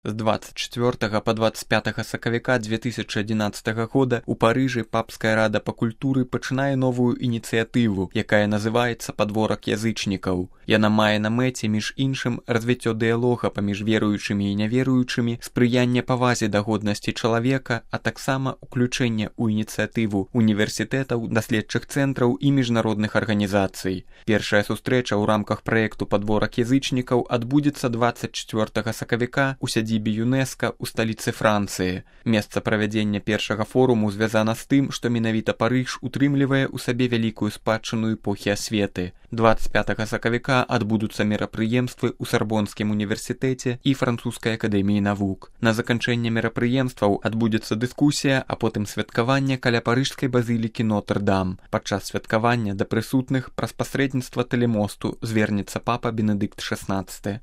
З 24 па 25 сакавіка 2011 года ў Парыжы Папская рада па культуры пачынае новую ініцыятыву, якая называецца «Падворак язычнікаў». Яна мае на мэце, між іншым, развіццё дыялога паміж веруючымі і няверуючымі, спрыянне павазе да годнасці чалавека, а таксама ўключэнне ў ініцыятыву універсітэтаў, даследчых цэнтраў і міжнародных арганізацый. Першая сустрэча ў рамках праекту «Падворак язычнікаў» адбудзецца 24 сакавіка ў сядзібе ЮНЕСКА ў сталіцы Францыі. Месца правядзення першага форуму звязана з тым, што менавіта Парыж утрымлівае ў сабе вялікую спадчыну эпохі асветы. 25 сакавіка адбудуцца мерапрыемствы ў Сарбонскім універсітэце і Французскай акадэміі навук. На заканчэнне мерапрыемстваў адбудзецца дыскусія, а потым святкаванне каля парыжскай базілікі Нотр-Дам. Падчас святкавання да прысутных праз пасрэдніцтва тэлемосту звернецца папа Бенедыкт XVI.